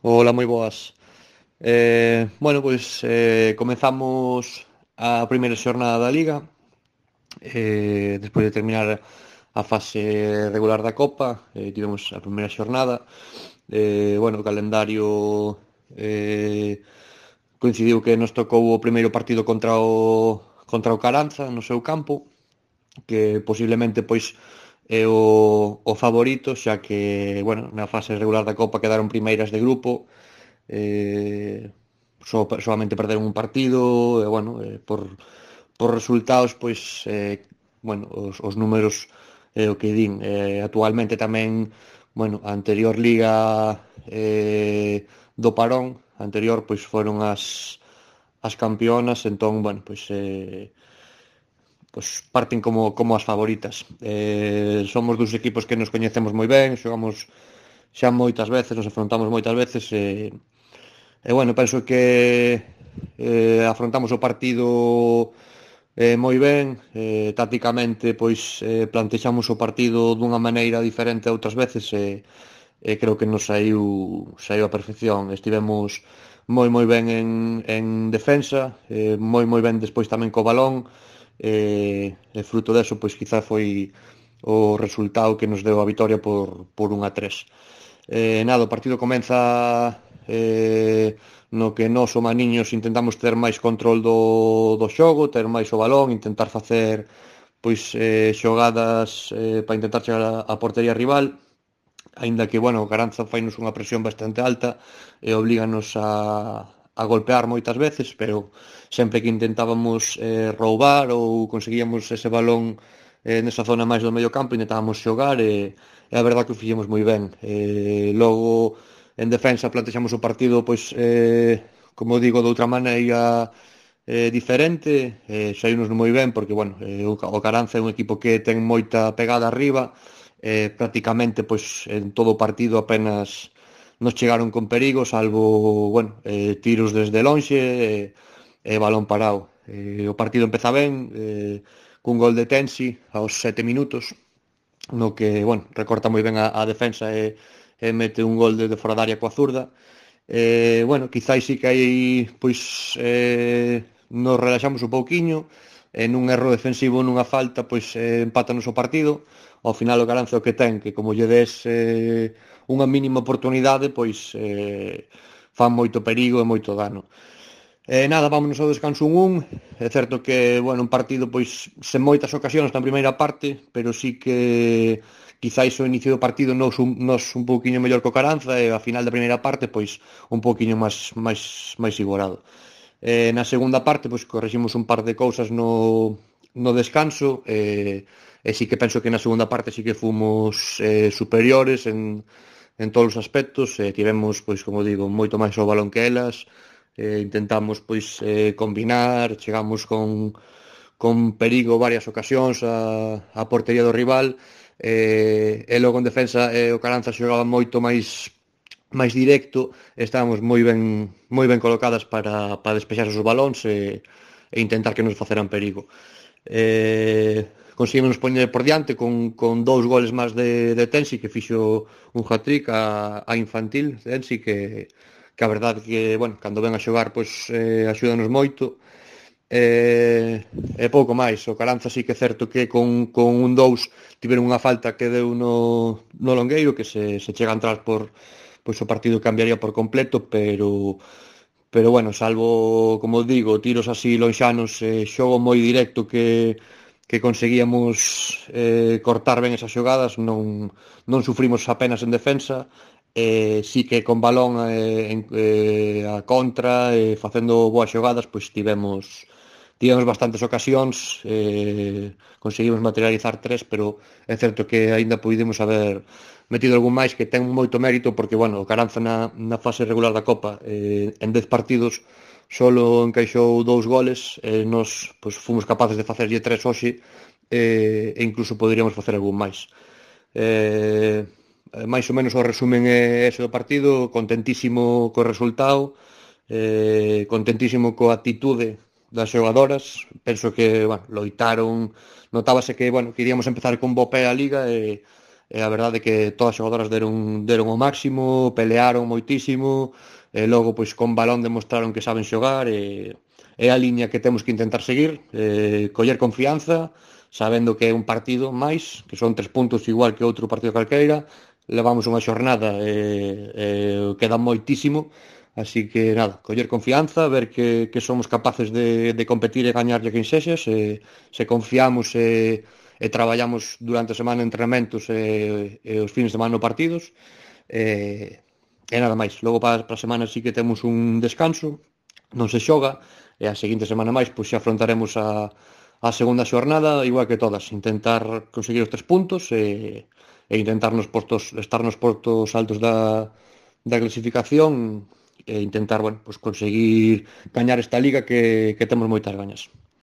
Hola, moi boas. Comezamos a primeira xornada da Liga, despois de terminar a fase regular da Copa, tivemos a primeira xornada. O calendario eh, coincidiu que nos tocou o primeiro partido contra o Caranza no seu campo, que posiblemente pois é o favorito, xa que, na fase regular da Copa quedaron primeiras de grupo. Solamente perderon un partido e por resultados os números o que din. Actualmente tamén a anterior liga do parón anterior pois foron as campeonas. Entón parten como as favoritas. Somos dos equipos que nos coñecemos moi ben, xogamos xa moitas veces, nos afrontamos moitas veces. Penso que afrontamos o partido moi ben. Tácticamente plantexamos o partido dunha maneira diferente a outras veces, creo que nos saiu a perfección. Estivemos moi ben en defensa, moi ben despois tamén co balón, e fruto deso pois quizá foi o resultado que nos deu a vitoria por 1-3. O partido comeza no que nós, o maniños, intentamos ter máis control do xogo, ter máis o balón, intentar facer xogadas para intentar chegar a portería rival, aínda que, o Caranza fainos unha presión bastante alta e oblíganos a golpear moitas veces, pero sempre que intentábamos roubar ou conseguíamos ese balón nesa zona máis do medio campo, intentábamos xogar, e a verdade que o fixemos moi ben. Logo, en defensa, plantexamos o partido como digo, de outra maneira diferente. Saímos moi ben porque o Caranza é un equipo que ten moita pegada arriba. Prácticamente en todo o partido apenas nos chegaron con perigo, salvo tiros desde lonxe e balón parado. O partido empeza ben, cun gol de Tensi aos 7 minutos, no que recorta moi ben a defensa e mete un gol de fora da área coa zurda. Quizáis sí que aí nos relaxamos un pouquiño, nun erro defensivo, nunha falta, empátanos o partido. Ao final o Caranza o que ten, que como lle des unha mínima oportunidade, fan moito perigo e moito dano. Vámonos ao descanso 1-1. É certo que, un partido sen moitas ocasións na primeira parte, pero sí que quizáis o inicio do partido nos un pouquiño mellor que o Caranza, e a final da primeira parte un pouquiño máis igualado. Na segunda parte corriximos un par de cousas no descanso, e sí que penso que na segunda parte sí que fomos superiores en todos os aspectos. Tivemos, como digo, moito máis o balón que elas. Intentamos combinar, chegamos con perigo varias ocasións a portería do rival, e logo en defensa o Caranza xogaba moito máis directo. Estábamos moi ben colocadas para despexar os balóns e intentar que nos faceran perigo. Conseguimos poñer por diante con 2 goles máis de Tensi, que fixo un hat-trick a infantil Tensi, que a verdade que, cando ven a xogar, axúdanos moito. E pouco máis. O Caranza sí que é certo que con un 2 tiveron unha falta que deu no longueiro, que se chega a entrar o partido cambiaría por completo, pero salvo, como digo, tiros así lonxanos, xogo moi directo que conseguíamos cortar ben esas xogadas, non sufrimos apenas en defensa. Sí que con balón a contra, facendo boas xogadas, tivemos bastantes ocasións. Conseguimos materializar 3, pero é certo que aínda podemos haber metido algún máis, que ten moito mérito, porque o Caranza na fase regular da Copa, en 10 partidos solo encaixou 2 goles. Nos fomos capaces de facerlle 3 hoxe, e incluso poderíamos facer algún máis. Máis ou menos o resumen é ese do partido. Contentísimo co resultado, contentísimo coa actitude das xogadoras. Penso que loitaron, notábase que iríamos empezar con bo pé a Liga, e e a verdade é que todas as xogadoras deron o máximo, pelearon moitísimo, e logo pois con balón demostraron que saben xogar, e é a liña que temos que intentar seguir, coller confianza, sabendo que é un partido máis, que son 3 puntos igual que outro partido calqueira, levamos unha xornada e queda moitísimo, así que nada, coller confianza, ver que somos capaces de competir e gañarlle a quen sexa, se confiamos e traballamos durante a semana en entrenamentos e os fins de semana no partidos, e, e nada máis. Logo para a semana sí que temos un descanso, non se xoga, e a seguinte semana máis pois xa afrontaremos a segunda xornada igual que todas, intentar conseguir os 3 puntos e intentar estar nos postos altos da clasificación e intentar, bueno, pues conseguir gañar esta liga que temos moitas gañas.